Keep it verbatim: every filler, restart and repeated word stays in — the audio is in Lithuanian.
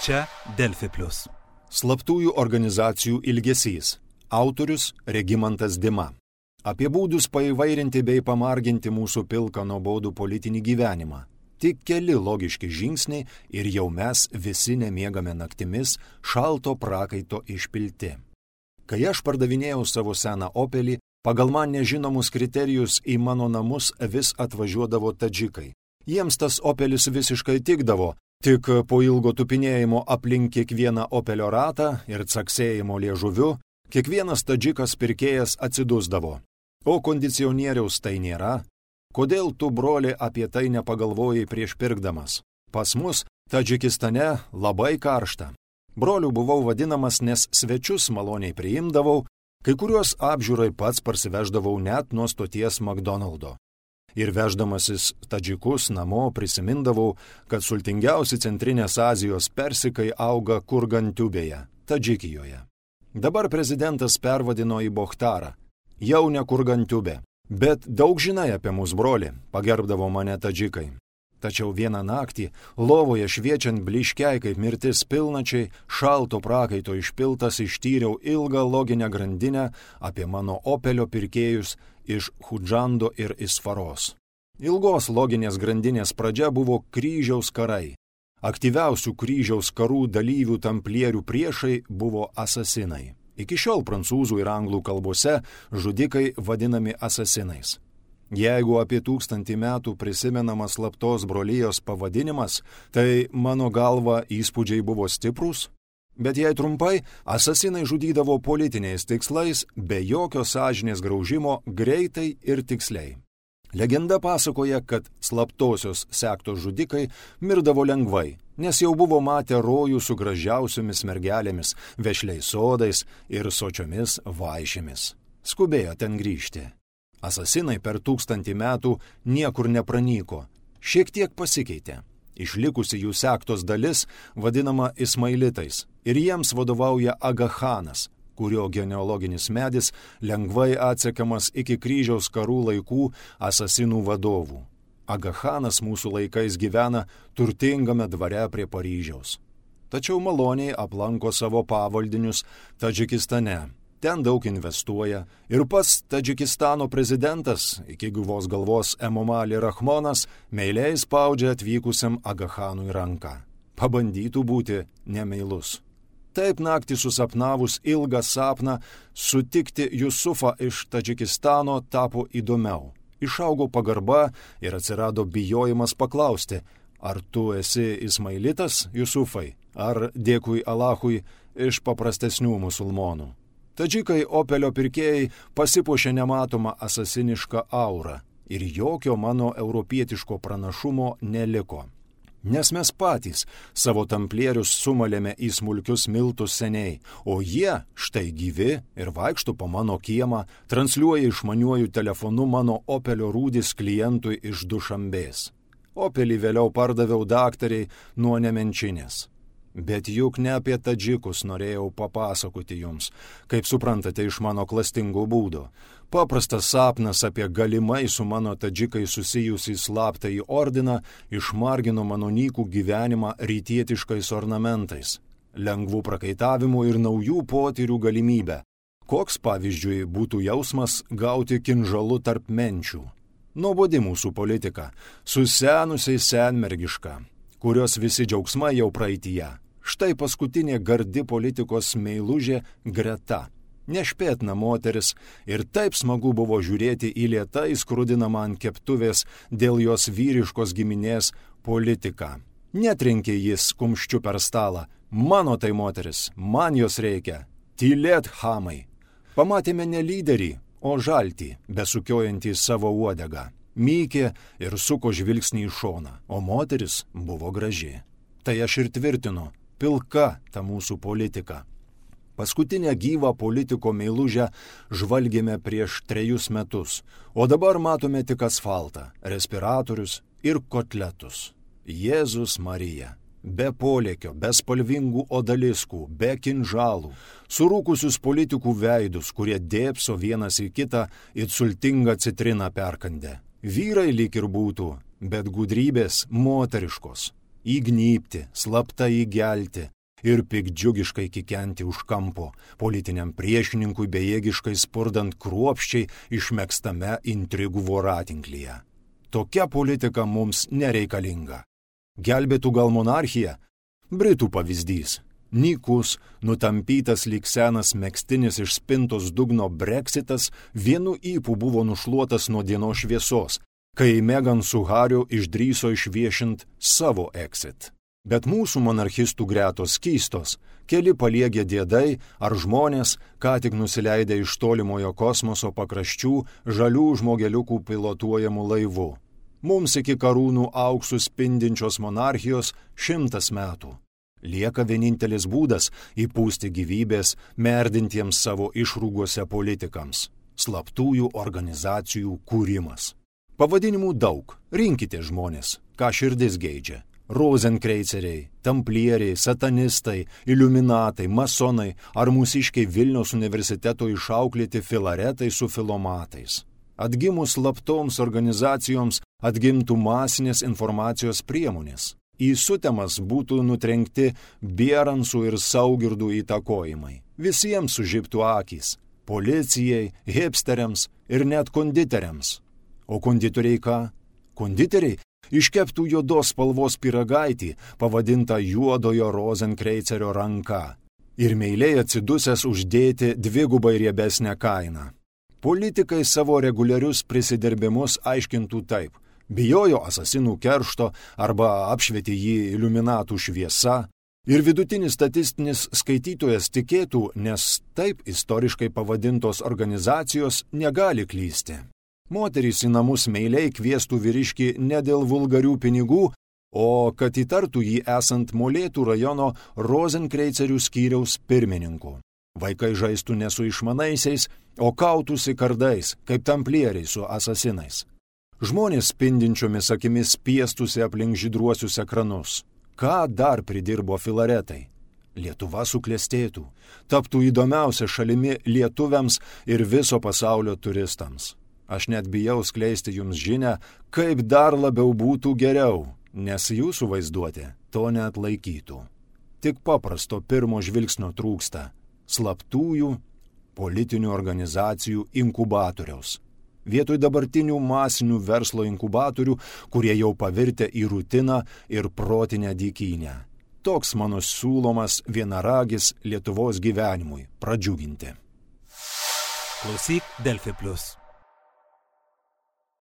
Čia Delfi plius. Slaptųjų organizacijų ilgesys. Autorius Regimantas Dima. Apie būdus paįvairinti bei pamarginti mūsų pilką nuobodų politinį gyvenimą. Tik keli logiški žingsniai ir jau mes visi nemiegame naktimis, šalto prakaito išpilti. Kai aš pardavinėjau savo seną Opelį, pagal man nežinomus kriterijus į mano namus vis atvažiuodavo tadžikai. Jiems tas Opelis visiškai tikdavo, tik po ilgo tupinėjimo aplink kiekvieną Opelio ratą ir caksėjimo liežuviu, kiekvienas tadžikas pirkėjas atsidusdavo. O kondicionieriaus tai nėra? Kodėl tu, broli, apie tai nepagalvojai prieš pirkdamas? Pas mus, Tadžikistane, labai karšta. Broliu buvau vadinamas, nes svečius maloniai priimdavau, kai kuriuos apžiūrai pats parsiveždavau net nuo stoties McDonald'o. Ir veždamasis tadžikus namo prisimindavau, kad sultingiausi Centrinės Azijos persikai auga Kurgantiubėje, Tadžikijoje. Dabar prezidentas pervadino į Bohtarą. Jau ne Kurgantiubė. Bet daug žinai apie mus, broli, pagerbdavo mane tadžikai. Tačiau vieną naktį, lovoje šviečiant bliškiai kaip mirtis pilnačiai, šalto prakaito išpiltas ištyriau ilgą loginę grandinę apie mano Opelio pirkėjus iš Hudžando ir Isfaros. Ilgos loginės grandinės pradžia buvo kryžiaus karai. Aktyviausių kryžiaus karų dalyvių tamplierių priešai buvo asasinai. Iki šiol prancūzų ir anglų kalbose žudikai vadinami asasinais. Jeigu apie tūkstantį metų prisimenamas slaptos brolijos pavadinimas, tai mano galva įspūdžiai buvo stiprūs. Bet jei trumpai, asasinai žudydavo politiniais tikslais, be jokio sąžinės graužimo, greitai ir tiksliai. Legenda pasakoja, kad slaptosios sektos žudikai mirdavo lengvai, nes jau buvo matę rojų su gražiausiomis mergelėmis, vešliais sodais ir sočiomis vaišėmis. Skubėjo ten grįžti. Asasinai per tūkstantį metų niekur nepranyko, šiek tiek pasikeitė. Išlikusi jų sektos dalis vadinama Ismailitais ir jiems vadovauja Agachanas, kurio genealoginis medis lengvai atsekamas iki kryžiaus karų laikų asasinų vadovų. Agachanas mūsų laikais gyvena turtingame dvare prie Paryžiaus. Tačiau maloniai aplanko savo pavaldinius Tadžikistane. Ten daug investuoja ir pats Tadžikistano prezidentas, iki gyvos galvos Emomali Rahmonas, meiliai spaudžia atvykusiam Agachanui ranką. Pabandytų būti nemeilus. Taip naktį susapnavus ilgą sapną, sutikti Jusufą iš Tadžikistano tapo įdomiau. Išaugo pagarba ir atsirado bijojimas paklausti, ar tu esi Ismailitas, Jusufai, ar dėkui Alachui iš paprastesnių musulmonų. Tadžikai Opelio pirkėjai pasipuošė nematomą asasinišką aurą ir jokio mano europietiško pranašumo neliko. Nes mes patys savo tamplierius sumalėme į smulkius miltus seniai, o jie štai gyvi ir vaikšto po mano kiemą, transliuoja išmaniuoju telefonu mano Opelio rūdis klientui iš Dušambės. Opelį vėliau pardaviau daktariai nuo Nemenčinės. Bet juk ne apie tadžikus norėjau papasakoti jums, kaip suprantate iš mano klastingo būdo. Paprastas sapnas apie galimai su mano tadžikai susijusį slaptąjį ordiną išmargino mano nykų gyvenimą rytietiškais ornamentais, lengvų prakaitavimų ir naujų potyrių galimybę. Koks, pavyzdžiui, būtų jausmas gauti kinžalu tarp menčių? Nuobodi mūsų politika, susenusiai senmergiška, kurios visi džiaugsmai jau praeityje. Štai paskutinė gardi politikos meilužė Greta. Nešpėtna moteris ir taip smagu buvo žiūrėti į lėtai skrudinamą ant keptuvės dėl jos vyriškos giminės politiką. Netrenkė jis kumščiu per stalą. Mano tai moteris, man jos reikia. Tylėt, chamai. Pamatėme ne lyderį, o žaltį, besukiojantį savo uodegą. Mykė ir suko žvilgsnį į šoną, o moteris buvo graži. Tai aš ir tvirtinu, pilka ta mūsų politika. Paskutinę gyvą politiko meilužę žvalgėme prieš trejus metus, o dabar matome tik asfaltą, respiratorius ir kotletus. Jėzus Marija. Be polėkio, be spalvingų odaliskų, be kinžalų, surūkusius politikų veidus, kurie dėpso vienas į kitą it sultingą citriną perkandę. Vyrai lyg ir būtų, bet gudrybės moteriškos. Įgnypti, slapta įgelti, ir piktdžiugiškai kikenti už kampo, politiniam priešininkui bejėgiškai spurdant kruopščiai išmegztame intrigų voratinklyje. Tokia politika mums nereikalinga. Gelbėtų gal monarchija? Britų pavyzdys. Nykus, nutampytas lyg senas megztinis iš spintos dugno Brexitas vienu ypu buvo nušluotas nuo dienos šviesos, kai Meghan su Hariu išdrįso išviešint savo exit. Bet mūsų monarchistų gretos keistos, keli paliegę diedai ar žmonės, ką tik nusileidę iš tolimojo kosmoso pakraščių žalių žmogeliukų pilotuojamų laivų. Mums iki karūnų auksų spindinčios monarchijos šimtas metų. Lieka vienintelis būdas įpūsti gyvybės merdintiems savo išrūgose politikams – slaptųjų organizacijų kūrimas. Pavadinimų daug, rinkite žmonės, ką širdis geidžia. Rozenkreiceriai, tamplieriai, satanistai, iliuminatai, masonai ar mūsiškiai Vilniaus universiteto išauklėti filaretai su filomatais. Atgimus slaptoms organizacijoms atgimtų masinės informacijos priemonės. Į sutemas būtų nutrenkti Bieransų ir Saugirdų įtakojimai. Visiems sužibtų akys – policijai, hipsteriams ir net konditeriams. O konditoriai ką? Konditeriai iškeptų juodos spalvos pyragaitį, pavadintą juodojo Rozenkreicerio ranka, ir meiliai atsidusęs uždėti dvigubai riebesnę kainą. Politikai savo reguliarius prisidirbimus aiškintų taip. Bijojo asasinų keršto arba apšvietė jį iliuminatų šviesa ir vidutinis statistinis skaitytojas tikėtų, nes taip istoriškai pavadintos organizacijos negali klysti. Moterys į namus meiliai kviestų vyriškį ne dėl vulgarių pinigų, o kad įtartų jį esant Molėtų rajono Rozenkreicerių skyriaus pirmininku. Vaikai žaistų ne su išmanaisiais, o kautųsi kardais, kaip tamplieriai su asasinais. Žmonės spindinčiomis akimis piestusi aplink žydruosius ekranus. Ką dar pridirbo filaretai? Lietuva suklestėtų, taptų įdomiausia šalimi lietuviams ir viso pasaulio turistams. Aš net bijau skleisti jums žinią, kaip dar labiau būtų geriau, nes jūsų vaizduotė to neatlaikytų. Tik paprasto pirmo žvilgsnio trūksta – slaptųjų politinių organizacijų inkubatoriaus. Vietoj dabartinių masinių verslo inkubatorių, kurie jau pavirtę į rutiną ir protinę dykynę. Toks mano siūlomas vienaragis Lietuvos gyvenimui pradžiuginti. Klausyk Delfi Plus.